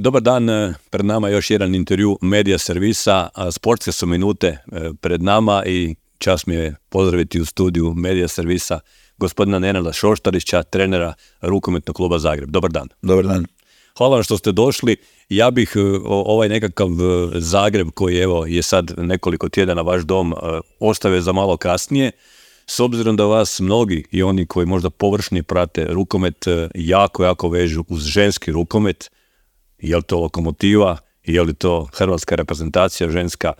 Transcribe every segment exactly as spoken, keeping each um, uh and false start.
Dobar dan, pred nama je još jedan intervju Medija servisa, sportske su minute pred nama i čast mi je pozdraviti u studiju Medija servisa gospodina Nenada Šoštarića, trenera Rukometnog kluba Zagreb. Dobar dan. Dobar dan. Hvala vam što ste došli. Ja bih ovaj nekakav Zagreb koji evo je sad nekoliko tjedana vaš dom ostavio za malo kasnije. S obzirom da vas mnogi i oni koji možda površni prate rukomet jako, jako vežu uz ženski rukomet, je li to Lokomotiva, je li to hrvatska reprezentacija ženska,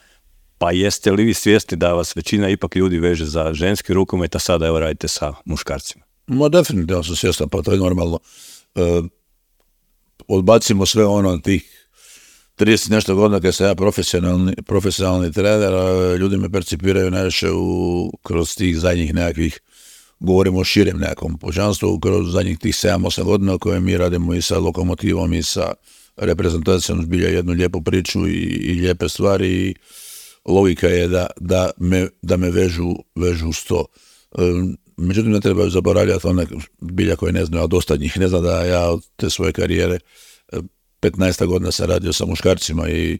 pa jeste li vi svjesni da vas većina ipak ljudi veže za ženski rukomet, a sada evo radite sa muškarcima? Ma definitivno sam svjestan, pa to je normalno. E, odbacimo sve ono tih trideset nešto godina kad sam ja profesionalni, profesionalni trener, a ljudi me percipiraju najviše u, kroz tih zadnjih nekakvih, govorimo o širem nekakvom pučanstvu, kroz zadnjih tih sedam osam godina koje mi radimo i sa Lokomotivom i sa reprezentacijom, zbilja jednu lijepu priču i, i lijepe stvari i logika je da, da, me, da me vežu, vežu uz to. E, međutim, ne trebaju zaboravljati one bilja koje ne znaju, a dosta njih ne zna da ja od te svoje karijere petnaest godina sam radio sa muškarcima i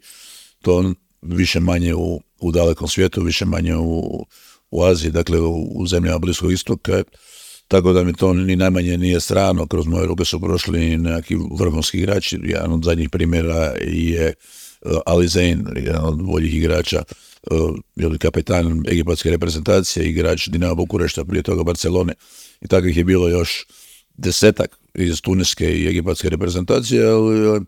to više manje u, u dalekom svijetu, više manje u, u Aziji, dakle u, u zemljama Bliskog istoka. Tako da mi to ni najmanje nije strano. Kroz moje ruke su prošli neki vrhunski igrači. Jedan od zadnjih primjera je Ali Zein, jedan od boljih igrača, ili kapetan egipatske reprezentacije, igrač Dinama Bukurešta, prije toga Barcelone. I takvih je bilo još desetak iz tuniske i egipatske reprezentacije, ali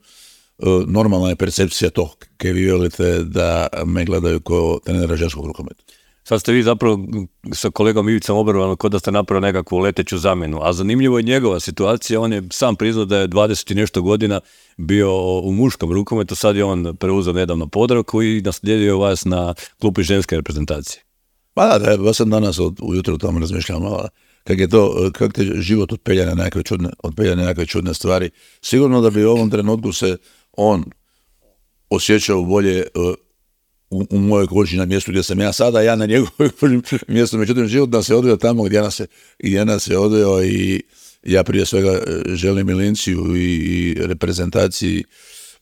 normalna je percepcija to, kaj vi velite da me gledaju kao trenera ženskog rukometa. Sad ste vi zapravo sa kolegom Ivicom Obrvanom kod da ste napravili nekakvu leteću zamjenu, a zanimljivo je njegova situacija, on je sam priznao da je dvadeset i nešto godina bio u muškom rukometu, sad je on preuzeo nedavno Podravku i naslijedio vas na klupi ženske reprezentacije. Pa da, da, ja sam danas od, ujutro o tome razmišljam malo, kak je to, kak te život otpelja na nekakve čudne, otpelja na nekakve čudne stvari. Sigurno da bi u ovom trenutku se on osjećao bolje uh, U, u mojoj koži na mjestu gdje sam ja sada, ja na njegovoj mjestu. Međutim, život nas je odveo tamo gdje nas je, gdje nas je odveo i ja prije svega želim Milinciju i, i reprezentaciji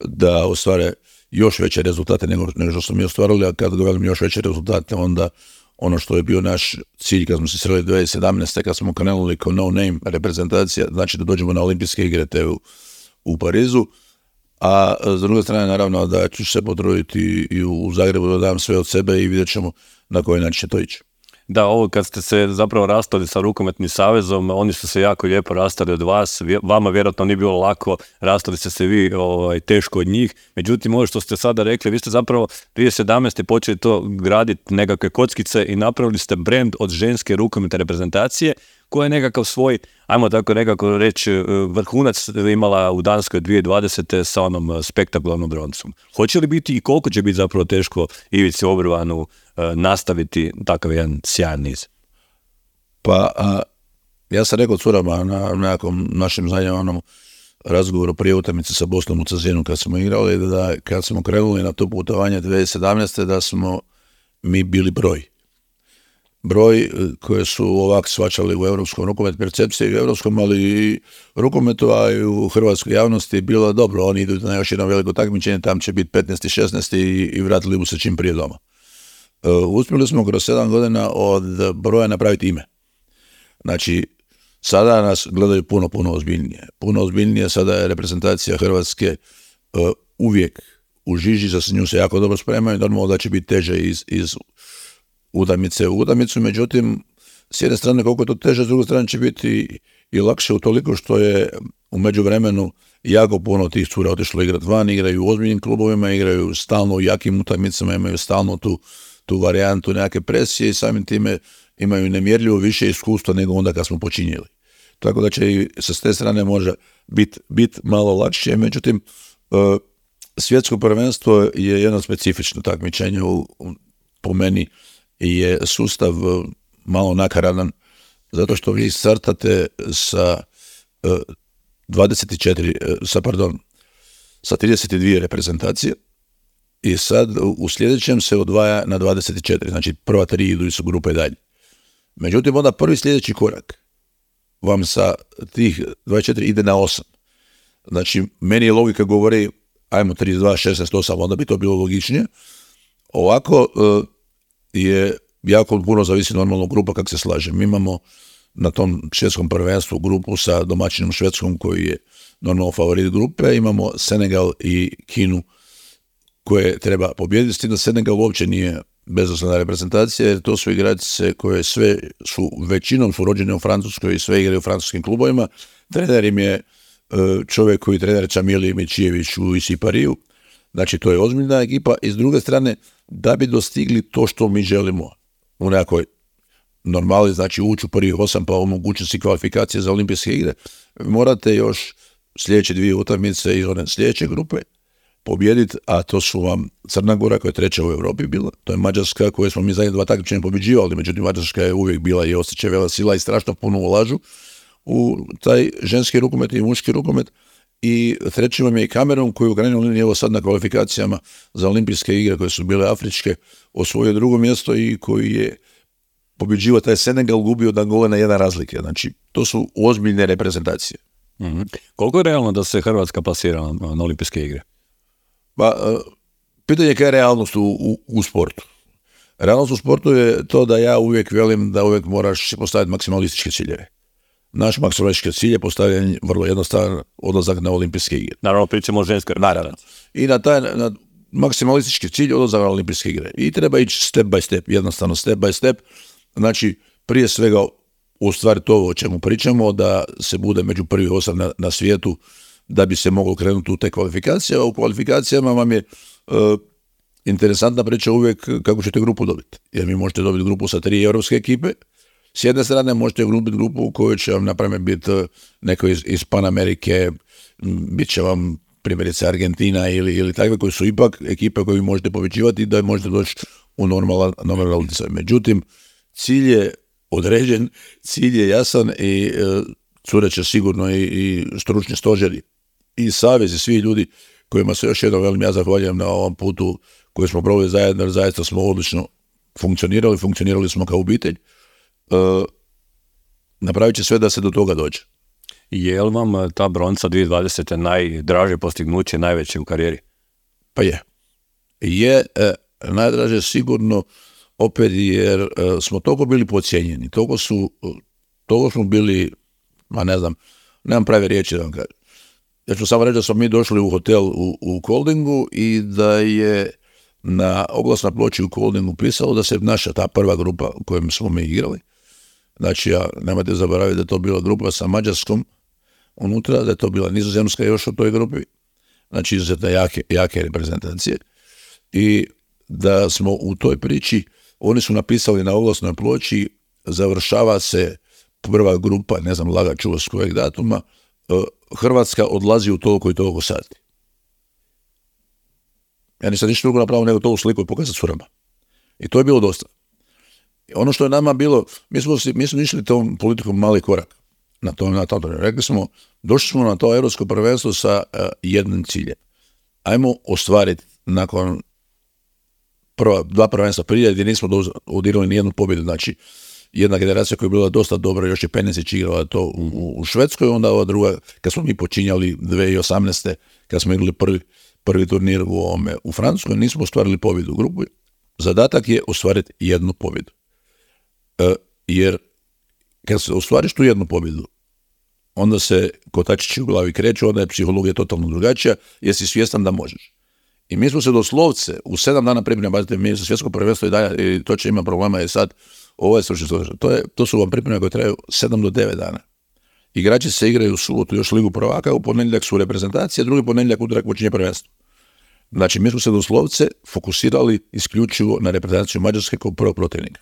da ostvare još veće rezultate nego, nego što smo mi ostvarili, a kada govorim još veće rezultate, onda ono što je bio naš cilj kad smo se sreli dvije tisuće sedamnaeste. kad smo krenuli kao no name reprezentacija, znači da dođemo na olimpijske igre te u, u Parizu. A s druge strane, naravno, da ću se potruditi i u Zagrebu da dam sve od sebe i vidjet ćemo na koji način će to ići. Da, ovo kad ste se zapravo rastali sa Rukometnim savezom, oni su se jako lijepo rastali od vas, vama vjerojatno nije bilo lako, rastali ste se vi ovaj, teško od njih, međutim ovo što ste sada rekli, vi ste zapravo dvije tisuće sedamnaeste. počeli to graditi nekakve kockice i napravili ste brand od ženske rukometne reprezentacije, koja je nekakav svoj, ajmo tako nekako reći, vrhunac imala u Danskoj dvije tisuće dvadesete. sa onom spektakularnom broncom. Hoće li biti i koliko će biti zapravo teško Ivici Obrvanu nastaviti takav jedan sjajan niz? Pa, a, ja sam rekao curama na nekakvom našem zadnjem razgovoru prije utakmice sa Bosnom u Cazinu kad smo igrali, da kad smo krenuli na to putovanje dvije tisuće sedamnaeste. da smo mi bili broj. Broj koje su ovak svačali u europskom rukometu, percepcije u europskom, ali i rukometu, a i u hrvatskoj javnosti je bilo dobro. Oni idu na još jedno veliko takmičenje, tam će biti petnaesti šesnaesti i, i vratili bu se čim prije doma. Uh, uspjeli smo kroz sedam godina od broja napraviti ime. Znači, sada nas gledaju puno, puno ozbiljnije. Puno ozbiljnije, sada je reprezentacija Hrvatske uh, uvijek u žiži, za nju se jako dobro spremaju, normalno da će biti teže iz, iz utakmice u utakmicu, međutim, s jedne strane koliko je to teže, s druge strane će biti i lakše utoliko što je u međuvremenu jako puno tih cura otišlo igrati van, igraju u ozbiljnim klubovima, igraju stalno u jakim utakmicama, imaju stalno tu, tu varijantu nekakve presije i samim time imaju nemjerljivo više iskustva nego onda kad smo počinjeli. Tako da će i sa te strane može biti bit malo lakše, međutim, svjetsko prvenstvo je jedno specifično takmičenje u, po meni je sustav malo nakaradan, zato što vi startate sa dvadeset četiri, sa, pardon, sa trideset dvije reprezentacije i sad u sljedećem se odvaja na dvadeset četiri, znači prva tri idu su grupe dalje. Međutim, onda prvi sljedeći korak vam sa tih dvadeset četiri ide na osam. Znači, meni je logika govori, ajmo trideset dva, šesnaest osam, onda bi to bilo logičnije. Ovako uh, je jako puno zavisi normalno grupa kako se slaže. Mi imamo na tom svjetskom prvenstvu grupu sa domaćinom Švedskom koji je normalno favorit grupe, imamo Senegal i Kinu koje treba pobijediti, s tim da Senegal uopće nije bezosnovna reprezentacija, jer to su igračice koje sve su, većinom su rođene u Francuskoj i sve igraju u francuskim klubovima. Trener im je čovjek koji trener Čamili Mičijević u Isipariju, znači to je ozbiljna ekipa. I s druge strane, da bi dostigli to što mi želimo u nekoj normali, znači ući u prvih osam pa omogućiti si kvalifikacije za olimpijske igre, morate još sljedeće dvije utakmice iz one sljedeće grupe pobijediti, a to su vam Crna Gora koja je treća u Europi bila, to je Mađarska koju smo mi zadnje dva takmičenja pobjeđivali, međutim Mađarska je uvijek bila i osjeća vela sila i strašno puno ulažu u taj ženski rukomet i muški rukomet. I treći vam je i Kamerun koji u krajnjoj liniji evo sad na kvalifikacijama za olimpijske igre koje su bile afričke osvojio drugo mjesto i koji je pobjeđivao taj Senegal, gubio da gole na jedan razlike. Znači, to su ozbiljne reprezentacije. Mm-hmm. Koliko je realno da se Hrvatska plasira na, na olimpijske igre? Pa, uh, pitanje je kaj je realnost u, u, u sportu. Realnost u sportu je to da ja uvijek velim da uvijek moraš postaviti maksimalističke ciljeve. Naš maksimalistički cilj je postavljen vrlo jednostavan odlazak na olimpijske igre. Naravno, pričamo o ženskoj. Naravno. I na taj na maksimalistički cilj odlazak na olimpijske igre. I treba ići step by step, jednostavno step by step. Znači, prije svega ostvariti ovo o čemu pričamo, da se bude među prvih osam na, na svijetu, da bi se moglo krenuti u te kvalifikacije. A u kvalifikacijama vam je uh, interesantna priča uvijek kako ćete grupu dobiti. Jer mi možete dobiti grupu sa tri europske ekipe. S jedne strane možete dobiti grupu u kojoj će vam napraviti biti neko iz, iz Panamerike, bit će vam primjerice Argentina ili, ili takve koji su ipak ekipe koje vi možete povećivati i da možete doći u normalan normalan. Međutim, cilj je određen, cilj je jasan i e, cure će sigurno i, i stručni stožeri i savez i svi ljudi kojima se još jednom velim ja zahvaljujem na ovom putu koji smo proveli zajedno, jer zaista smo odlično funkcionirali, funkcionirali smo kao obitelj. Uh, napravit će sve da se do toga dođe. Je li vam ta bronca dvije tisuće dvadesete najdraže postignuće, najveće u karijeri? Pa je. Je eh, najdraže sigurno opet jer eh, smo toliko bili podcijenjeni, toliko su, toliko smo bili, ma ne znam, nemam prave riječi da vam kažem. Ja ću samo reći da smo mi došli u hotel u, u Koldingu i da je na oglasnoj ploči u Koldingu pisalo da se naša ta prva grupa u kojem smo mi igrali, znači ja, nemojte zaboraviti da je to bila grupa sa Mađarskom unutra, da je to bila Nizozemska još u toj grupi, znači izuzetno jake, jake reprezentacije i da smo u toj priči, oni su napisali na oglasnoj ploči, završava se prva grupa, ne znam, laga čuva s kojeg datuma, Hrvatska odlazi u toliko i toliko sati. Ja nisam ništa drugo napravio nego to u sliku i pokazati curama. I to je bilo dosta. I ono što je nama bilo, mi smo, mi smo išli tom politikom mali korak. Na to, na to. Rekli smo, došli smo na to europsko prvenstvo sa uh, jednim ciljem. Ajmo ostvariti nakon prva, dva prvenstva prije gdje nismo odirali ni jednu pobjedu. Znači, jedna generacija koja je bila dosta dobra, još je Penesić igrala to u, u, u Švedskoj, onda ova druga, kad smo mi počinjali dvije tisuće osamnaeste. kad smo igrali prvi, prvi turnir u, ovome, u Francuskoj, nismo ostvarili pobjedu u grupu. Zadatak je ostvariti jednu pobjedu. E, jer kad se ostvariš tu jednu pobjedu, onda se kotačići u glavi kreću, onda je psihologija totalno drugačija, jer si svjestan da možeš. I mi smo se doslovce u sedam dana pripreme, bazite, mi se svjetsko prvenstvo i dalje, i to će ima problema je sad, ovo je slučaj, to, je, to su vam pripreme koje traju sedam do devet dana. Igrači se igraju u subotu još ligu prvaka, u ponedjeljak su reprezentacije, drugi ponedjeljak utorak počinje prvenstvo. Znači, mi smo se doslovce fokusirali isključivo na reprezentaciju Mađarske kao prvog protivnika.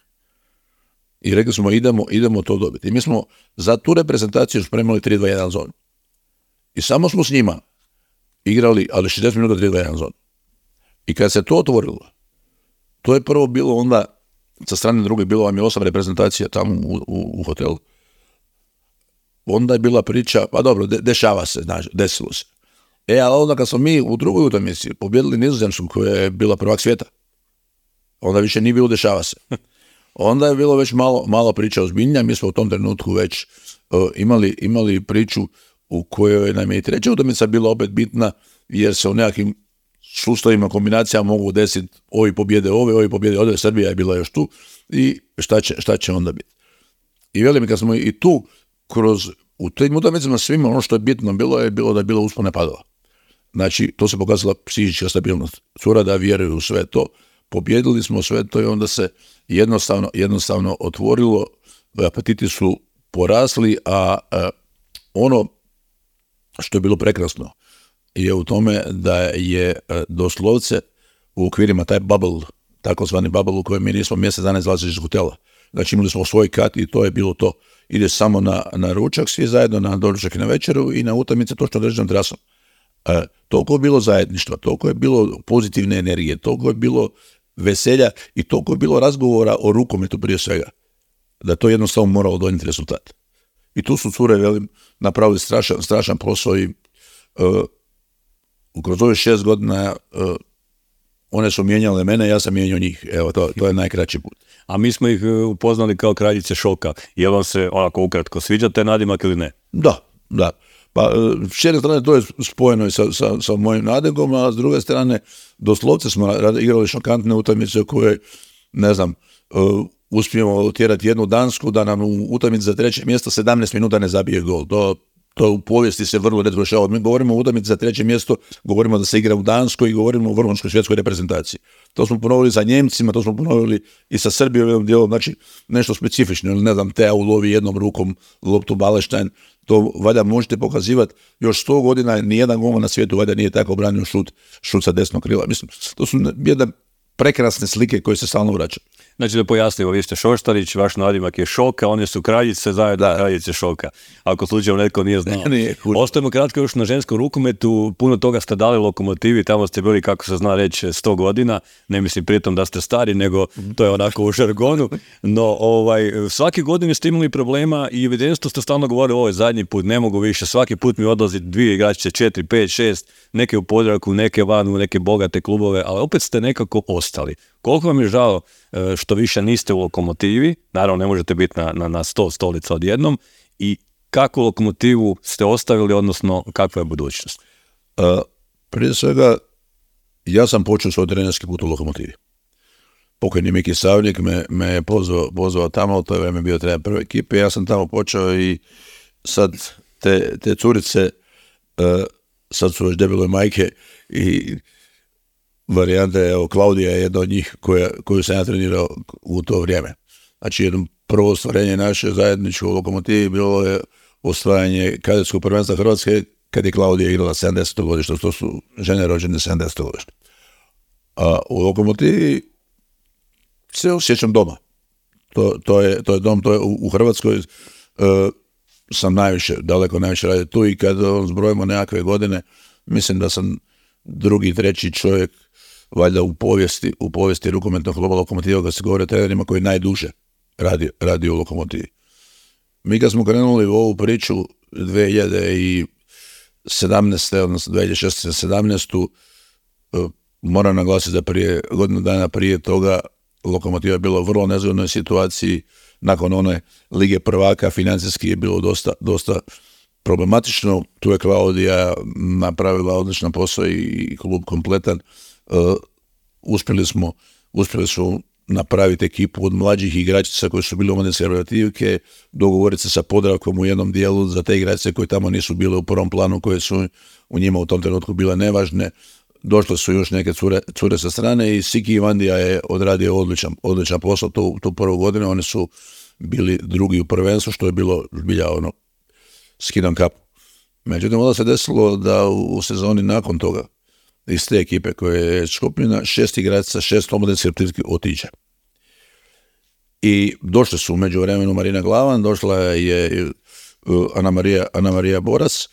I rekli smo, idemo, idemo to dobiti. I mi smo za tu reprezentaciju spremali tri dva jedan zonu. I samo smo s njima igrali, ali šezdeset minuta tri dva jedan zonu. I kad se to otvorilo, to je prvo bilo onda, sa strane druge, bilo vam je osam reprezentacija tamo u, u, u hotelu. Onda je bila priča, pa dobro, de, dešava se, znači, desilo se. E, ali onda kad smo mi u drugoj utakmici pobjedili Nizozemsku koja je bila prvak svijeta, onda više nije bilo dešava se. Onda je bilo već malo, malo priča ozbiljnija, mi smo u tom trenutku već uh, imali, imali priču u kojoj nam je i treća utakmica bila opet bitna, jer se u nekakvim sustavima, kombinacijama mogu desiti ovi pobjede ove, ovi pobjede ove, Srbija je bila još tu i šta će, šta će onda biti. I velim, kad smo i tu kroz, u tim utakmicama svima ono što je bitno bilo je bilo da je bilo uspone padova. Znači, to se pokazala psihička stabilnost. Cura da vjeruju u sve to, pobjedili smo sve to i onda se jednostavno, jednostavno otvorilo, apetiti su porasli, a, a ono što je bilo prekrasno je u tome da je a, doslovce u okvirima taj bubble, takozvani bubble u kojem mi nismo mjesec dana izlazili iz hotela. Znači imali smo svoj kat i to je bilo to. Ide samo na, na ručak, svi zajedno na doručak i na večeru i na utakmice točno određenom trasom. E, toliko je bilo zajedništva, toliko je bilo pozitivne energije, toliko je bilo veselja i toliko je bilo razgovora o rukometu prije svega, da to jednostavno moralo donijeti rezultat. I tu su cure, velim, napravili strašan, strašan posao i uh, kroz ove šest godina uh, one su mijenjale mene, ja sam mijenjao njih. Evo, to, to je najkraći put. A mi smo ih upoznali kao kraljice šoka. Je vam se onako ukratko sviđa taj nadimak ili ne? Da, da. Pa s jedne strane to je spojeno i sa, sa, sa mojim nadimkom, a s druge strane doslovce smo igrali šokantne utakmice koje, ne znam, uh, uspijemo utjerati jednu Dansku da nam u utakmici za treće mjesto sedamnaest minuta ne zabije gol. To, to u povijesti se vrlo redko dešava. Mi govorimo o utakmici za treće mjesto, govorimo da se igra u Danskoj i govorimo o vrhunskoj svjetskoj reprezentaciji. To smo ponovili za Njemcima, to smo ponovili i sa Srbijom dijelom, znači nešto specifično. Ne znam, Tea ulovi jednom rukom loptu Baleštajn, to valjda možete pokazivati. Još sto godina nijedan golman na svijetu valjda nije tako branio šut, šut sa desnog krila. Mislim, to su jedne prekrasne slike koje se stalno vraćaju. Znači da pojasnimo, vi ste Šoštarić, vaš nadimak je Šoka, one su kraljice, zajedno da. Kraljice Šoka. Ako slučajno netko nije znao. Nije, Ostajemo kratko još na ženskom rukometu, puno toga ste dali Lokomotivi, tamo ste bili, kako se zna reći, sto godina, ne mislim pritom da ste stari, nego to je onako u žargonu, no ovaj, svake godine ste imali problema i evidentno ste stalno govorili, ovo je zadnji put, ne mogu više, svaki put mi odlazi dvije igračice, četiri, pet, šest, neke u Podravku, neke van u neke bogate klubove, ali opet ste nekako ostali. Koliko vam je žao što više niste u Lokomotivi, naravno ne možete biti na, na, na sto stolica odjednom, i kakvu Lokomotivu ste ostavili, odnosno kakva je budućnost? Uh, prije svega, ja sam počeo svoj trenerski put u Lokomotivi. Pokojni Miki Savnik me, me je pozvao, pozvao tamo, to je vreme bio trener prve ekipe, ja sam tamo počeo i sad te, te curice, uh, sad su već debeloj majke i varijanta je, evo, Klaudija je jedna od njih koja, koju sam ja trenirao u to vrijeme. Znači, jedno prvo ostvarenje naše zajedničke u Lokomotivi bilo je osvajanje kadetskog prvenstva Hrvatske kad je Klaudija igrala sedamdeseto godište, to su žene rođene sedamdeseto godište. A u Lokomotivi se osjećam doma. To, to, je, to je dom, to je u, u Hrvatskoj uh, sam najviše, daleko najviše radio tu i kad zbrojimo nekakve godine, mislim da sam drugi, treći čovjek valjda u povijesti, u povijesti rukometnog kluba Lokomotiva, kad se govori o trenerima koji najduže radi, radi u Lokomotivi. Mi kad smo krenuli u ovu priču dvije hiljade sedamnaeste odnosno dvije hiljade šesnaeste sedamnaestu moram naglasiti da prije godinu dana prije toga Lokomotiva je bila u vrlo nezgodnoj situaciji. Nakon one Lige prvaka financijski je bilo dosta, dosta problematično. Tu je Klaudija napravila odličan posao i klub kompletan. Uh, uspjeli smo, uspjeli su napraviti ekipu od mlađih igračica koji su bili omladinske reprezentativke, dogovoriti se sa Podravkom u jednom dijelu za te igračice koje tamo nisu bile u prvom planu, koje su u njima u tom trenutku bile nevažne. Došle su još neke cure, cure sa strane i Siki Ivandija je odradio odličan, odličan posao tu, tu prvu godinu. Oni su bili drugi u prvenstvu, što je bilo zbilja ono skidam kapu. Međutim, onda se desilo da u, u sezoni nakon toga iz te ekipe koje je skupljena, šest igračica, šest omladinskih reprezentativki otiđe. I došle su u međuvremenu Marina Glavan, došla je uh, Ana Marija, Ana Marija Boras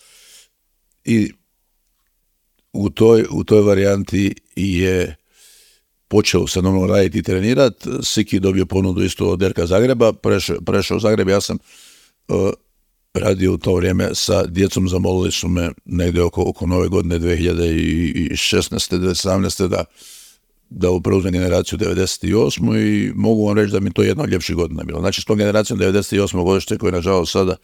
i u toj, u toj varijanti je počeo se normalno raditi i trenirati. Siki dobio ponudu isto od Derka Zagreba, prešao, prešao u Zagreb, ja sam uh, radio u to vrijeme sa djecom, zamolili su me negdje oko, oko nove godine dvije hiljade šesnaeste. dvije hiljade sedamnaeste. da, da preuzmem generaciju devedeset osme. i mogu vam reći da mi to jedna od ljepših godina bilo. Znači s tom generacijom devedeset osme godište koje nažalost sada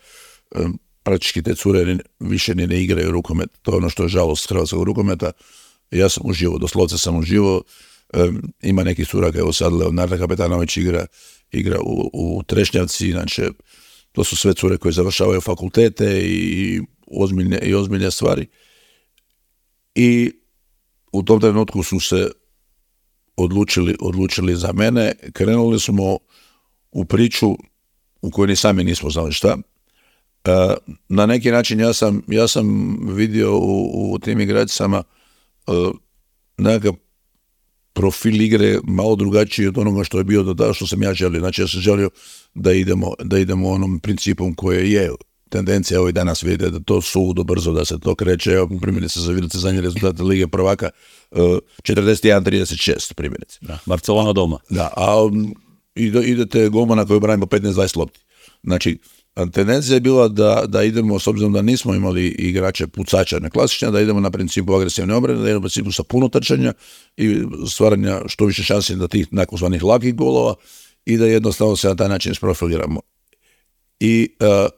um, praktički te cure više ni ne igraju rukomet. To je ono što je žalost hrvatskog rukometa. Ja sam uživo, doslovce sam uživo. Um, ima neki cura, evo sad Leonarda Kapetanović igra, igra u, u Trešnjavci, inače to su sve cure koje završavaju fakultete i ozbiljne, i ozbiljne stvari. I u tom trenutku su se odlučili, odlučili za mene. Krenuli smo u priču u kojoj ni sami nismo znali šta. Uh, na neki način ja sam, ja sam vidio u, u tim igračicama uh, nekakav profil igre malo drugačiji od onoga što je bio do tada što sam ja želio. Znači ja sam želio da idemo, da idemo onom principom koje je tendencija. Evo i danas vidite da to sudo brzo, da se to kreće. Evo primjerice za vidite zadnji rezultat Lige prvaka uh, četrdeset jedan trideset šest primjerice. Da, Barcelona doma. Da, a um, ide, idete golmana koji branimo petnaest dvadeset lopti. Znači tendencija je bila da, da idemo, s obzirom da nismo imali igrače pucača na klasičnja, da idemo na principu agresivne obrane, da idemo na principu sa puno trčanja i stvaranja što više šansi da tih takozvanih lakih golova i da jednostavno se na taj način isprofiliramo. I uh,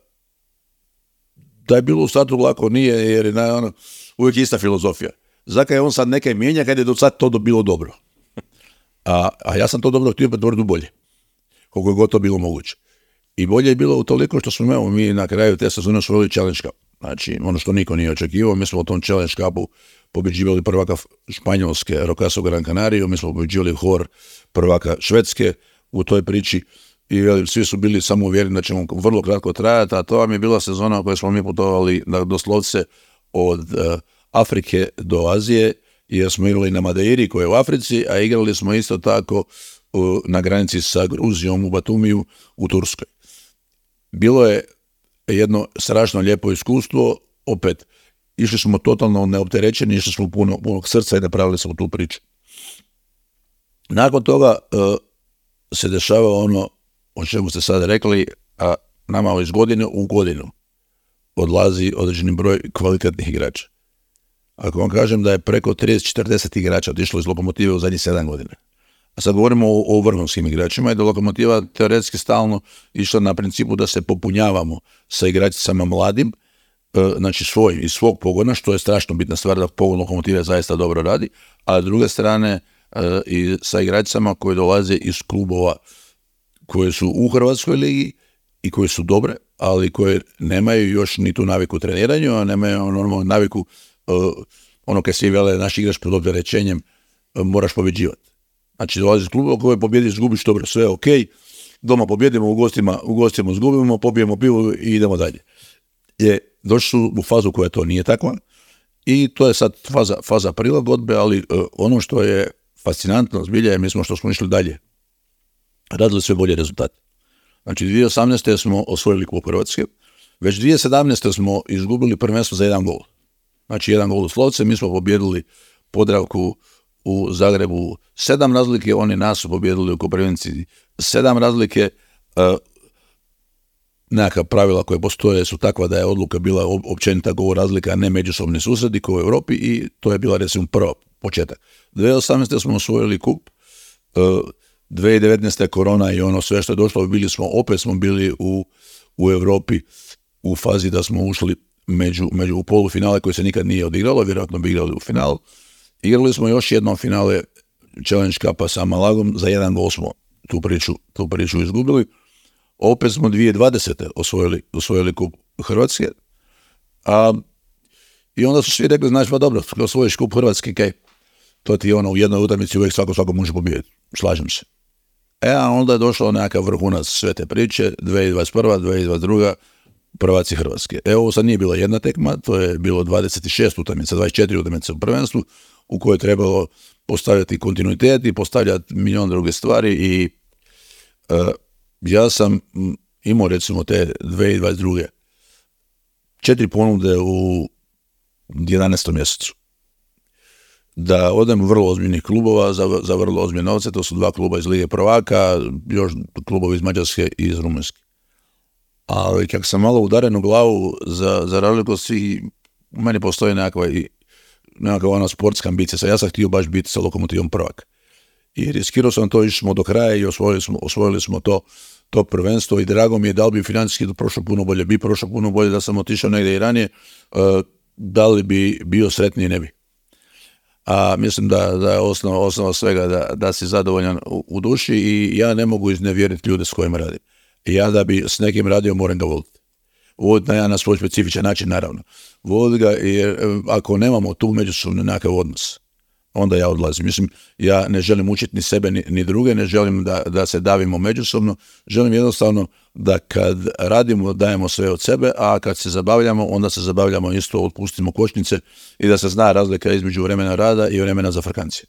da je bilo u startu lako, nije, jer je na, ono, uvijek ista filozofija. Zakaj je on sad nekaj mijenja kad je do sad to bilo dobro? A, a ja sam to dobro htio pretvoriti u bolje, koliko je god to bilo moguće. I bolje je bilo utoliko što smo evo, mi na kraju te sezone osvojili Challenge Cup. Znači, ono što niko nije očekivao, mi smo u tom Challenge Cupu pobjeđivali prvaka Španjolske, Rocaso Gran Canaria, mi smo pobjeđivali Hor prvaka Švedske u toj priči i jeli, svi su bili samo uvjereni da ćemo vrlo kratko trajati, a to vam je bila sezona u kojoj smo mi putovali da, doslovce od uh, Afrike do Azije, jer smo igrali na Madeiri koja je u Africi, a igrali smo isto tako uh, na granici sa Gruzijom u Batumiju u Turskoj. Bilo je jedno strašno lijepo iskustvo, opet, išli smo totalno neopterećeni, išli smo puno, punog srca i napravili smo tu priču. Nakon toga uh, se dešava ono o čemu ste sad rekli, a nama iz godine u godinu odlazi određeni broj kvalitetnih igrača. Ako vam kažem da je preko trideset četrdeset igrača otišlo iz Lokomotive u zadnjih sedam godina. A sad govorimo o, o vrhunskim igračima i da Lokomotiva teoretski stalno išla na principu da se popunjavamo sa igračicama mladim, znači svoj, iz svog pogona, što je strašno bitna stvar da pogon Lokomotive zaista dobro radi, a s druge strane i sa igračicama koje dolaze iz klubova koje su u Hrvatskoj ligi i koje su dobre, ali koje nemaju još ni tu naviku treniranju, a nemaju normalnu naviku ono kad svi vele naš igrač pod opterećenjem moraš pobjeđivati. Znači dolazi iz klubova koje pobjediš, izgubiš, dobro, sve je ok, doma pobjedimo, u gostima, u gostima izgubimo, pobijemo pivu i idemo dalje. Je, došli su u fazu koja to nije takva i to je sad faza, faza prilagodbe, ali uh, ono što je fascinantno zbilja je mi smo što smo išli dalje, radili sve bolje rezultate. Znači dvije tisuće osamnaeste. smo osvojili Kup Hrvatske, već dvije tisuće sedamnaeste. smo izgubili prvenstvo za jedan gol. Znači jedan gol u Slovce, mi smo pobjedili Podravku u Zagrebu sedam razlike, oni nas su pobjedili u Koprivnici sedam razlike. Uh, nekakva pravila koje postoje su takva da je odluka bila općenita gol razlika, a ne međusobni susredi kao u Europi i to je bila recimo prva početak. dvije tisuće osamnaeste. smo osvojili kup, uh, dvije tisuće devetnaeste. korona i ono sve što je došlo, bili smo, opet smo bili u, u Europi u fazi da smo ušli među, među u polufinale koje se nikad nije odigralo, vjerojatno bi igrali u finalu. Igrali smo još jednom finale Challenge Cupa sa Malagom, za jedan gol smo tu priču, tu priču izgubili. Opet smo dvije tisuće dvadesete. osvojili, osvojili Kup Hrvatske. A, I onda su svi rekli, znači pa dobro, kad osvojiš Kup Hrvatske, kaj, to ti je ono u jednoj utakmici uvijek svako svako može pobijediti. Slažem se. E, a onda je došao nekakav vrhunac sve te priče, dvije tisuće dvadeset prva. dvije tisuće dvadeset druga. prvaci Hrvatske. Evo, ovo sad nije bila jedna tekma, to je bilo dvadeset šest utakmica, dvadeset četiri utakmice u prvenstvu, u kojoj je trebalo postavljati kontinuitet i postavljati milion druge stvari i uh, ja sam imao recimo te dvije tisuće dvadeset druge. četiri ponude u jedanaestom mjesecu. Da odem u vrlo ozbiljnih klubova za, za vrlo ozbiljne novce, to su dva kluba iz Lige prvaka, još klubovi iz Mađarske i iz Rumunjske. Ali kako sam malo udaren u glavu za, za razliku svih, u meni postoji nekakva, nekakva ona sportska ambicija. Ja sam htio baš biti sa Lokomotivom prvak. I riskirao sam to, išli smo do kraja i osvojili smo, osvojili smo to to prvenstvo i drago mi je da li bi financijski prošlo puno bolje, bi prošlo puno bolje da sam otišao negdje i ranije, da li bi bio sretniji, ne bi. A mislim da, da je osnova, osnova svega da, da si zadovoljan u, u duši i ja ne mogu iznevjeriti ljude s kojima radim. I ja da bi s nekim radio moram ga voliti. Voliti na, ja na svoj specifičan način, naravno. Voliti ga jer ako nemamo tu međusobno nekakav odnos, onda ja odlazim. Mislim, ja ne želim učiti ni sebe ni, ni druge, ne želim da, da se davimo međusobno, želim jednostavno da kad radimo dajemo sve od sebe, a kad se zabavljamo, onda se zabavljamo isto, otpustimo kočnice i da se zna razlika između vremena rada i vremena za frkancije.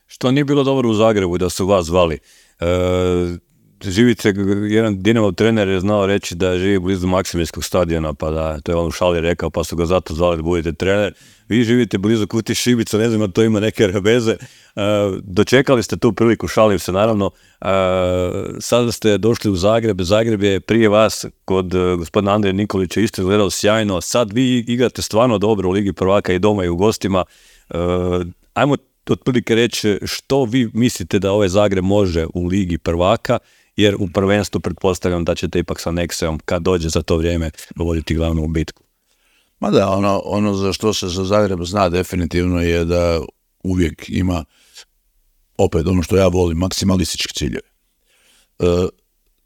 Što nije bilo dobro u Zagrebu da su vas zvali? E, živite, jedan Dinamo trener je znao reći da živi blizu Maksimirskog stadiona, pa da, to je on u šali rekao, pa su ga zato zvali da budete trener. Vi živite blizu Kutije Šibica, ne znam, to ima neke veze. Uh, dočekali ste tu priliku, šalim se naravno. Uh, sada ste došli u Zagreb, Zagreb je prije vas kod uh, gospodina Andrije Nikolića isto izgledao sjajno. Sad vi igrate stvarno dobro u Ligi prvaka i doma i u gostima. Uh, ajmo otprilike reći što vi mislite da ovaj Zagreb može u Ligi prvaka, jer u prvenstvu pretpostavljam da ćete ipak sa Nexeom, kad dođe za to vrijeme, voditi glavnu bitku. Ma da, ono, ono za što se za Zagreb zna definitivno je da uvijek ima, opet ono što ja volim, maksimalistički ciljeve. E,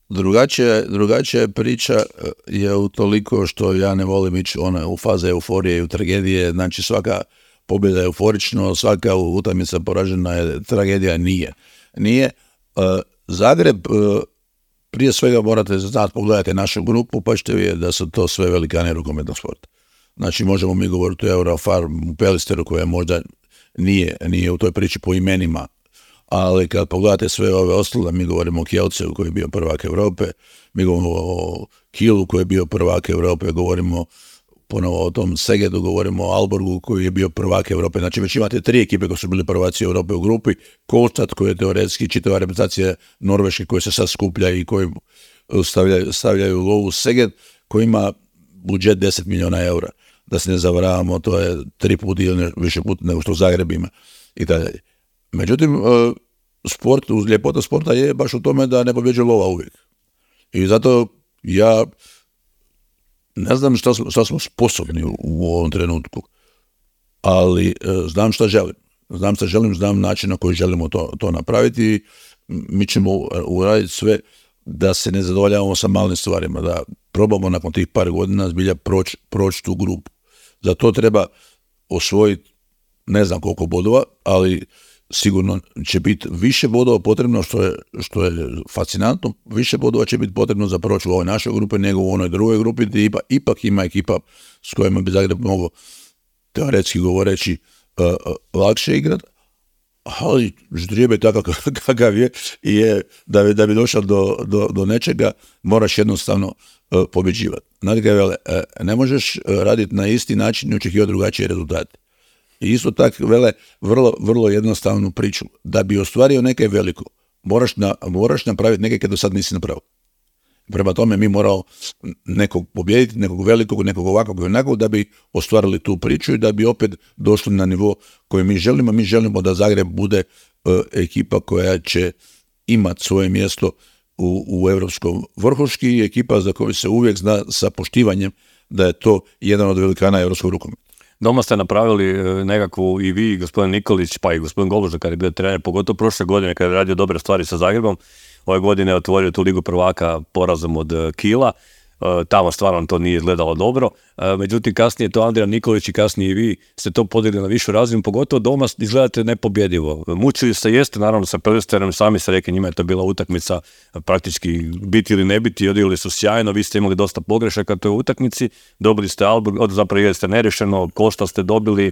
drugačija, drugačija priča je utoliko što ja ne volim ići ona, u faze euforije i u tragedije, znači svaka pobjeda je euforično, svaka utakmica poražena je tragedija, nije. Nije. E, Zagreb, e, prije svega morate znati, pogledajte našu grupu, pa ćete vidjeti da su to sve velikane rukometnog sporta. Znači, možemo mi govoriti o Eurofarm, Pelisteru, koja možda nije, nije u toj priči po imenima, ali kad pogledate sve ove ostale, mi govorimo o Kielceu koji je bio prvak Europe, mi govorimo o Kielu koji je bio prvak Europe, govorimo ponovo o tom Segedu, govorimo o Alborgu koji je bio prvak Europe. Znači, već imate tri ekipe koji su bili prvaci Europe u grupi, Kolstad koji je teoretski čitava reprezentacija Norveške koji se sad skuplja i koji stavljaju, stavljaju lovu, Seged koji ima budžet deset milijuna eura. Da se ne zavaravamo, to je tri puta ili više puta nego što Zagreb ima i tako dalje. Međutim, sport, ljepota sporta je baš u tome da ne pobjeđuje lova uvijek. I zato ja ne znam šta smo, šta smo sposobni u, u ovom trenutku, ali znam šta želim. Znam šta želim, znam način na koji želimo to, to napraviti i mi ćemo uraditi sve da se ne zadovoljavamo sa malim stvarima, da probamo nakon tih par godina zbilja proći proć tu grupu. Za to treba osvojiti ne znam koliko bodova, ali sigurno će biti više bodova potrebno, što je, što je fascinantno, više bodova će biti potrebno za proći u ovoj našoj grupi nego u onoj drugoj grupi, gdje ipak, ipak ima ekipa s kojima bi Zagreb mogao teoretski govoreći uh, uh, lakše igrati, ali ždrijebe takav kakav je, je da, bi, da bi došao do, do, do nečega, moraš jednostavno uh, pobjeđivati. Znate kaj vele, uh, ne možeš uh, raditi na isti način i očekivati drugačije rezultate. I isto tako vele vrlo, vrlo jednostavnu priču. Da bi ostvario neke veliko, moraš, na, moraš napraviti neke kad do sad nisi napravio. Prema tome mi moramo nekog pobijediti, nekog velikog, nekog ovakvog i onakvog da bi ostvarili tu priču i da bi opet došli na nivo koji mi želimo. Mi želimo da Zagreb bude uh, ekipa koja će imati svoje mjesto u, u europskom vrhuški i ekipa za koju se uvijek zna sa poštivanjem da je to jedan od velikana europskog rukometa. Doma ste napravili nekakvu i vi, gospodin Nikolić, pa i gospodin Goluža kad je bio trener, pogotovo prošle godine kad je radio dobre stvari sa Zagrebom. Ove godine je otvorio tu ligu prvaka porazom od Kiela. Tamo stvarno to nije izgledalo dobro. Međutim, kasnije to Andrija Nikolić i kasnije i vi ste to podigli na višu razinu, pogotovo doma izgledate nepobjedivo. Mučili se jeste, naravno, sa Pelisterom, sami ste rekli, njima je to bila utakmica praktički biti ili ne biti, odigrali su sjajno, vi ste imali dosta pogrešaka u toj utakmici, dobili ste Alborg, od zapravo igrali ste nerešeno, Kosta ste dobili,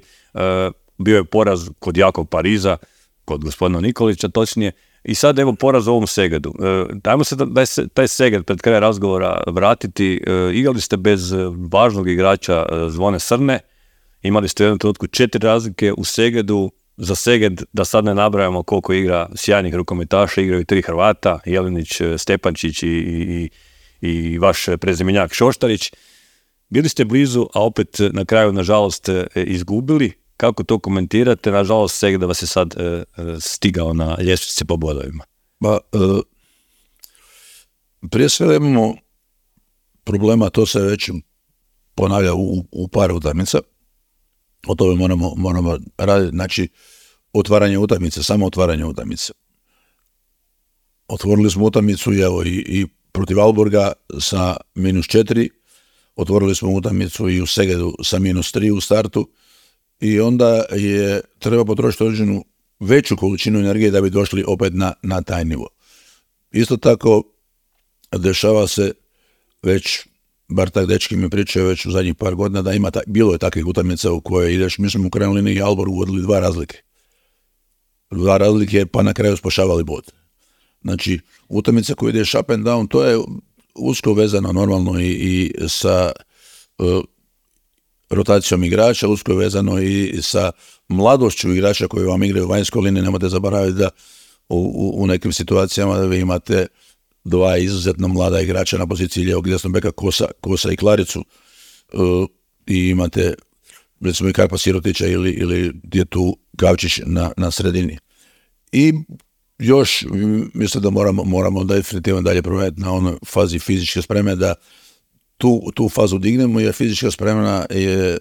bio je poraz kod jakog Pariza, kod gospodina Nikolića točnije, i sad evo poraz u ovom Segedu. E, dajmo se da, da se taj Seged pred kraj razgovora vratiti. E, igrali ste bez važnog igrača e, Zvone Srne, imali ste u jednom trenutku četiri razlike u Segedu. Za Seged, da sad ne nabrajamo koliko igra sjajnih rukometaša, igraju tri Hrvata, Jelinić, Stepančić i, i, i vaš prezimenjak Šoštarić. Bili ste blizu, a opet na kraju, nažalost, izgubili. Kako to komentirate? Nažalost, Seged da vas je sad e, stigao na ljestvici po bodovima. Ba, e, prije svega imamo problema, to se već ponavlja u, u par utakmica, o tome moramo, moramo raditi, znači otvaranje utakmice, samo otvaranje utakmice. Otvorili smo utakmicu evo, i, i protiv Alborga sa minus četiri, otvorili smo utakmicu i u Segedu sa minus tri u startu i onda je treba potrošiti određenu veću količinu energije da bi došli opet na, na taj nivo. Isto tako dešava se već, bar tak dečki mi pričaju već u zadnjih par godina, da ima ta, bilo je takvih utakmica u koje ideš, mi smo u krajnjoj liniji Alborg uvodili dva razlike. Dva razlike pa na kraju spašavali bod. Znači, utakmica koja ideš up and down, to je usko vezano normalno i, i sa uh, rotacijom igrača, usko je vezano i sa mladošću igrača koji vam igraju u vanjskoj liniji. Nemojte zaboraviti da u, u, u nekim situacijama da vi imate dva izuzetno mlada igrača na poziciji lijevog desnog beka, Kosa, Kosa i Klaricu, uh, i imate recimo i Karpa Sirotića ili, ili je tu Gavčić na, na sredini. I još mislim da moramo, moramo definitivno dalje provediti na onoj fazi fizičke spreme, da tu, tu fazu dignemo, jer fizička spremna je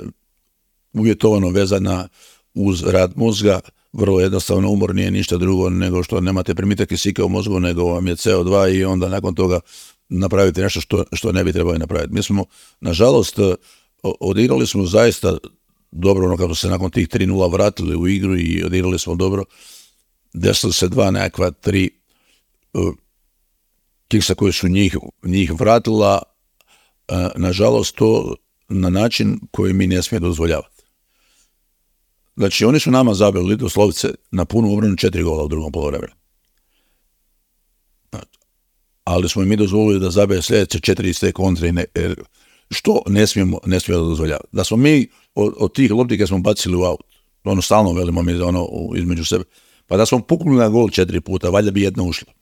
uvjetovano vezana uz rad mozga. Vrlo jednostavno, umor nije ništa drugo nego što nemate primitak kisika u mozgu, nego vam je C O dva i onda nakon toga napravite nešto što, što ne bi trebali napraviti. Mi smo, nažalost, odigrali smo zaista dobro, ono kako se nakon tih tri nula vratili u igru i odigrali smo dobro. Desilo se dva nekakva tri uh, kiksa koje su njih, njih vratila, uh, nažalost to na način koji mi ne smije dozvoljavati. Znači oni su nama zabili doslovce na punu obranu četiri gola u drugom poluvremenu. Ali smo i mi dozvolili da zabije sljedeće četiri iz te kontre, ne, što ne smijemo, ne smijemo dozvoljavati. Da smo mi od, od tih lopti kad smo bacili u aut, ono stalno velimo mi ono između sebe, pa da smo puknuli na gol četiri puta, valjda bi jedna ušla.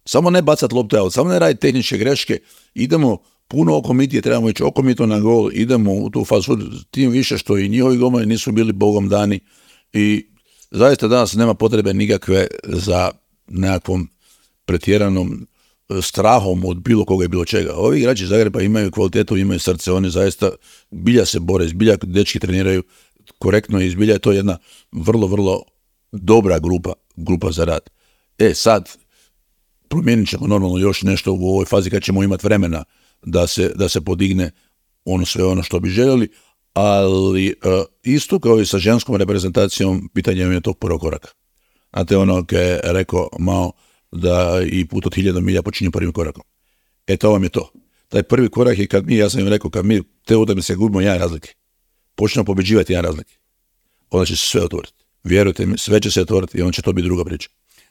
Samo ne bacati lopte out, samo ne raditi tehničke greške, idemo puno okomitije, trebamo ići okomito na gol, idemo u tu fazu, tim više što i njihovi golmani nisu bili bogom dani i zaista danas nema potrebe nikakve za nekakvom pretjeranom strahom od bilo koga i bilo čega. Ovi igrači Zagreba imaju kvalitetu, imaju srce, oni zaista zbilja se bore, zbilja dečki treniraju korektno i zbilja je to jedna vrlo, vrlo dobra grupa, grupa za rad. E sad, promijenit ćemo normalno još nešto u ovoj fazi kad ćemo imati vremena da se, da se podigne ono sve ono što bi željeli, ali uh, isto kao i sa ženskom reprezentacijom, pitanje je tog prvog koraka. Znate ono kad je rekao Mao da i put od hiljada milja počinje prvim korakom. E to vam je to. Taj prvi korak je kad mi, ja sam im rekao, kad mi te utakmice gubimo jedan razlike, počnemo pobeđivati jedan razlike, onda će se sve otvoriti. Vjerujte mi, sve će se otvoriti i onda će to biti druga priča.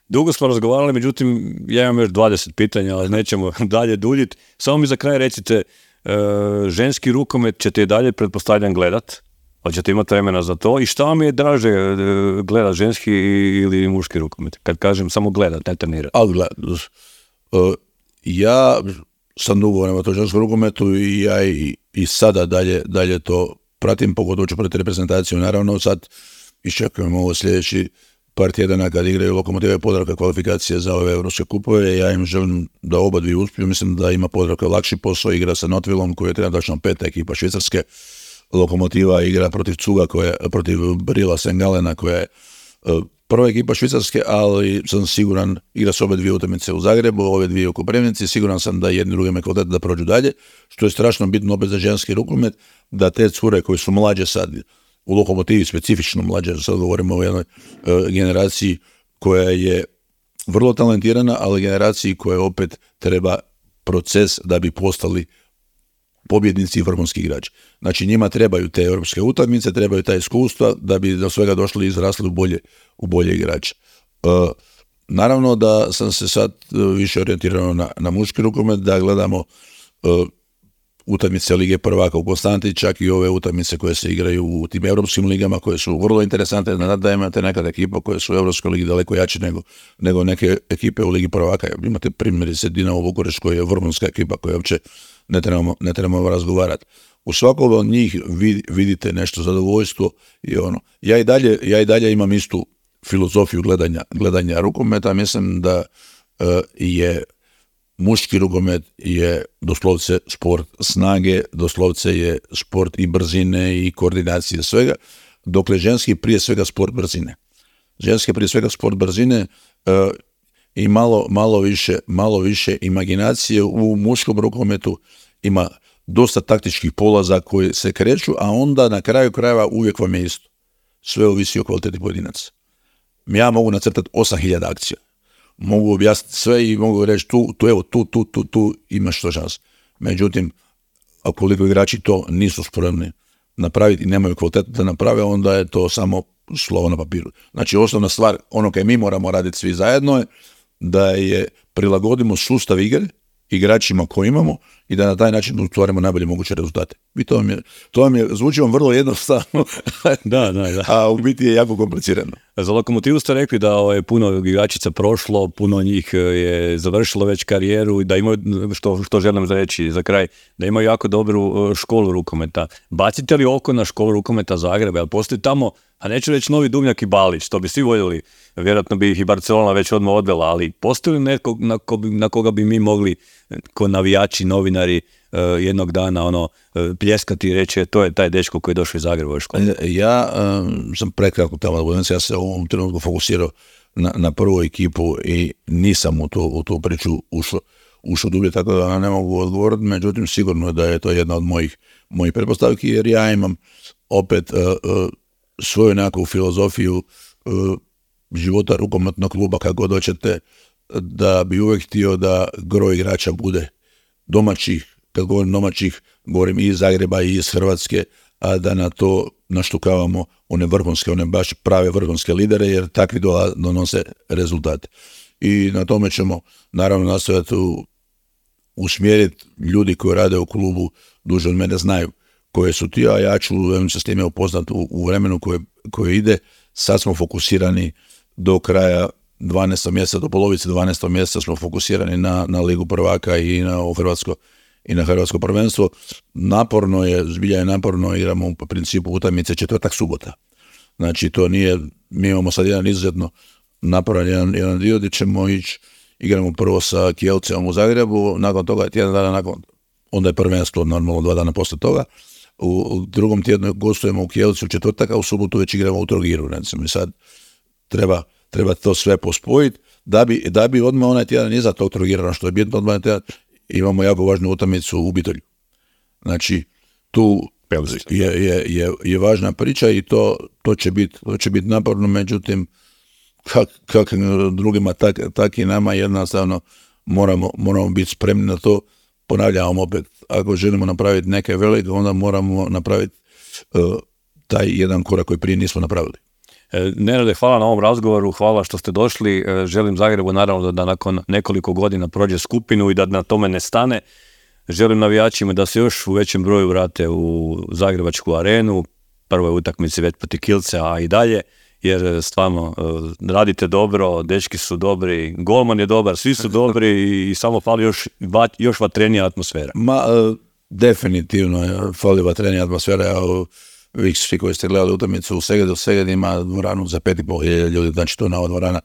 Dugo smo razgovarali, međutim, ja imam još dvadeset pitanja, ali nećemo dalje duljiti. Samo mi za kraj recite, e, ženski rukomet ćete i dalje, pretpostavljam, gledat? Hoćete imati vremena za to? I šta vam je draže e, gledat, ženski ili muški rukomet? Kad kažem samo gledat, ne trenirati. Ali gled, uh, ja sam dugo vremena to ženskom rukometu i ja i, i sada dalje, dalje to pratim, pogotovo ću pratiti reprezentaciju. Naravno, sad iščekujemo ovo sljedeći par tjedana kad igraju Lokomotiva i Podravka kvalifikacije za ove europske kupove. Ja im želim da oba dvije uspiju. Mislim da ima Podravka lakši posao, igra sa Notvillom koji je trenutačno peta ekipa Švicarske. Lokomotiva igra protiv Cuga, koja, protiv Brila Sengalena koja je uh, prva ekipa Švicarske, ali sam siguran, igra s obe dvije utakmice u Zagrebu, ove dvije u Koprivnici, siguran sam da jedni drugima kvalitet da prođu dalje, što je strašno bitno opet za ženski rukomet, da te cure koji su mlađe sad, u Lokomotivi specifično mlađe, sad govorimo o jednoj uh, generaciji koja je vrlo talentirana, ali generaciji koja opet treba proces da bi postali pobjednici i vrhunski igrači. Znači njima trebaju te europske utakmice, trebaju ta iskustva da bi do svega došli i izrasli u bolje, u bolje igrače. Uh, naravno da sam se sad više orijentirao na, na muški rukomet, da gledamo uh, utakmice Lige prvaka u Konstanti, čak i ove utakmice koje se igraju u tim europskim ligama, koje su vrlo interesantne, da imate nekad ekipa koje su u Europskoj ligi daleko jače nego, nego neke ekipe u Ligi prvaka. Imate primjerice Dinamo Bukurešt koja je vrhunska ekipa koja uopće ne trebamo, ne trebamo razgovarati. U svakom od njih vid, vidite nešto zadovoljstvo i ono. Ja i dalje, ja i dalje imam istu filozofiju gledanja, gledanja rukometa. Mislim da uh, je muški rukomet je doslovce sport snage, doslovce je sport i brzine i koordinacije svega, dokle ženski prije svega sport brzine. Ženski prije svega sport brzine uh, i malo, malo, više, malo više imaginacije. U muškom rukometu ima dosta taktičkih polaza koji se kreću, a onda na kraju krajeva uvijek vam je isto. Sve ovisi o kvaliteti pojedinaca. Ja mogu nacrtati osam hiljada akcija. Mogu objasniti sve i mogu reći tu, tu, evo, tu, tu, tu, tu imaš što šans. Međutim, koliko igrači to nisu spremni napraviti i nemaju kvalitetu da naprave, onda je to samo slovo na papiru. Znači, osnovna stvar, ono kaj mi moramo raditi svi zajedno je da je prilagodimo sustav igre igračima koje imamo i da na taj način ostvarimo najbolje moguće rezultate. I to vam je, to vam je, zvuči vam vrlo jednostavno, da, da, da. A u biti je jako komplicirano. Za Lokomotivu ste rekli da je puno igračica prošlo, puno njih je završilo već karijeru i da imaju, što, što želim reći za kraj, da imaju jako dobru školu rukometa. Bacite li oko na školu rukometa Zagreba? Jel postoji tamo, a neću reći Novi Dubnjak i Balić, to bi svi voljeli, vjerojatno bi ih i Barcelona već odmah odvela, ali postoji li neko na, ko, na koga bi mi mogli, ko navijači, novinari, uh, jednog dana ono, uh, pljeskati i reći to je taj dečko koji je došao iz Zagreba u školu? Ja um, sam prekratko tamo, ja se u ovom trenutku fokusirao na, na prvu ekipu i nisam u, to, u tu priču ušao, ušao dublje, tako da ne mogu odgovoriti, međutim sigurno da je to jedna od mojih, mojih pretpostavki, jer ja imam opet uh, uh, svoju nekakvu filozofiju uh, života rukometnog kluba, kako god hoćete, da bi uvijek htio da gro igrača bude domaćih, kad govorim domaćih, govorim i iz Zagreba i iz Hrvatske, a da na to naštukavamo one vrhunske, one baš prave vrhunske lidere, jer takvi donose rezultate. I na tome ćemo naravno nastojati usmjeriti ljudi koji rade u klubu, duže od mene znaju koje su ti, a ja ću se s time upoznati u, u vremenu koje, koje ide. Sad smo fokusirani do kraja dvanaestog mjeseca, do polovice dvanaestog mjeseca smo fokusirani na, na Ligu prvaka i na Hrvatsko i na Hrvatsko prvenstvo. Naporno je, zbilja je naporno, igramo u principu utakmice četvrtak subota. Znači to nije, mi imamo sad jedan izuzetno naporan jedan, jedan dio gdje ćemo ići, igramo prvo sa Kielcem u Zagrebu, nakon toga tjedan dana nakon, onda je prvenstvo normalno dva dana poslije toga. U, u drugom tjednu gostujemo u Kielcu u četvrtak, a u subotu već igramo u Trogiru. Recimo. I sad treba, treba to sve pospojiti da bi, da bi odmah onaj tjedan iza tog Trogira, što je bitno odmah tjedan, imamo jako važnu utakmicu u Bitolju. Znači, tu je, je, je, je važna priča i to, to će biti to bit naporno, međutim, kak, kak drugima, tak, tak i nama jednostavno moramo, moramo biti spremni na to. Ponavljamo opet, ako želimo napraviti neke velike, onda moramo napraviti uh, taj jedan korak koji prije nismo napravili. Nenade, hvala na ovom razgovoru, hvala što ste došli. Želim Zagrebu naravno da, da nakon nekoliko godina prođe skupinu i da na tome ne stane. Želim navijačima da se još u većem broju vrate u Zagrebačku arenu, prvoj utakmici već protiv Kielca, a i dalje, jer stvarno radite dobro, dečki su dobri, golman je dobar, svi su dobri i, i samo fali još, još vatrenija atmosfera. Ma, definitivno fali vatrenija atmosfera. Ja, vi svi koji ste gledali utakmicu u Segedu, Seged ima dvoranu za pet i pol hiljada ljudi, znači to je nova dvorana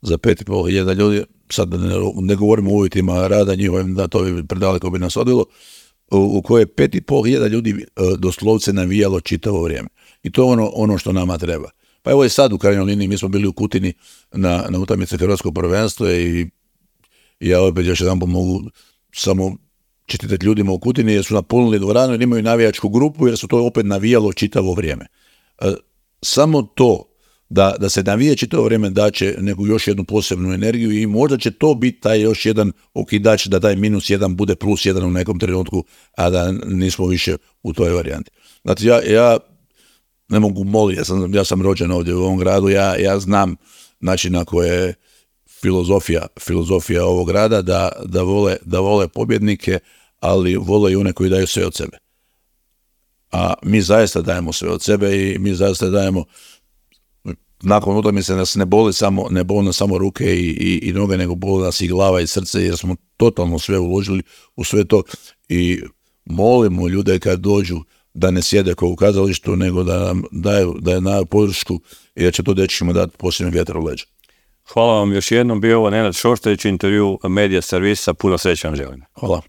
za pet i pol hiljada ljudi. Sad ne, ne govorimo o uvjetima rada njihovim, da to bi predaleko bi nas odvilo, u, u koje pet i pol hiljada ljudi doslovce navijalo čitavo vrijeme. I to je ono, ono što nama treba. Pa evo i sad u krajnjoj liniji, mi smo bili u Kutini na, na utakmici Hrvatskog prvenstva i ja opet još jedan mogu samo čestitati ljudima u Kutini jer su napunili dvoranu jer imaju navijačku grupu jer su to opet navijalo čitavo vrijeme. E, samo to da, da se navije čitavo vrijeme daće neku još jednu posebnu energiju i možda će to biti taj još jedan okidač da taj minus jedan bude plus jedan u nekom trenutku, a da nismo više u toj varijanti. Znači ja, ja ne mogu moliti, ja sam, ja sam rođen ovdje u ovom gradu, ja, ja znam način na koje je filozofija, filozofija ovog grada da, da, vole, da vole pobjednike, ali vole i one koji daju sve od sebe. A mi zaista dajemo sve od sebe i mi zaista dajemo, nakon utakmice nas ne boli samo, ne boli nas samo ruke i, i, i noge, nego boli nas i glava i srce jer smo totalno sve uložili u sve to i molimo ljude kad dođu da ne sjede kao u kazalištu, nego da nam daju, da je daju podršku i da će to dečkima dati posljednji vjetar u leđa. Hvala vam još jednom, bio ovo Nenad Šoštarić, intervju Medija servisa, puno sreće vam želim. Hvala.